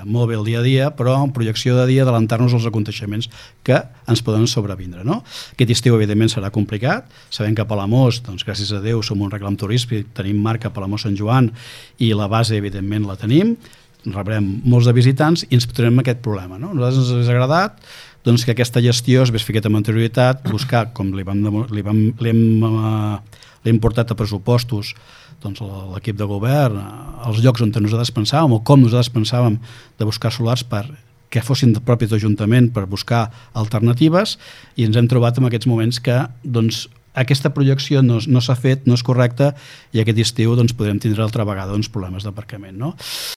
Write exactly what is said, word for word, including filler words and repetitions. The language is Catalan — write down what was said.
molt bé el dia a dia, però en projecció de dia adelantar-nos als aconteixements que ens poden sobrevindre. No? Aquest estiu, evidentment, serà complicat. Sabem que a Palamós, doncs, gràcies a Déu, som un reclam turístic, tenim marca Palamós-Sant Joan i la base, evidentment, la tenim. Rebrem molts de visitants i ens trobarem aquest problema. No? A nosaltres ens ha agradat doncs, que aquesta gestió es vés feta amb anterioritat, buscar, com li vam, li vam, l'hem, l'hem portat a pressupostos doncs, l'equip de govern, els llocs on nosaltres pensàvem o com nosaltres pensàvem de buscar solars per que fossin de propi d'Ajuntament per buscar alternatives i ens hem trobat en aquests moments que doncs, aquesta projecció no, no s'ha fet, no és correcta i aquest estiu doncs, podrem tindre altra vegada uns problemes d'aparcament. No?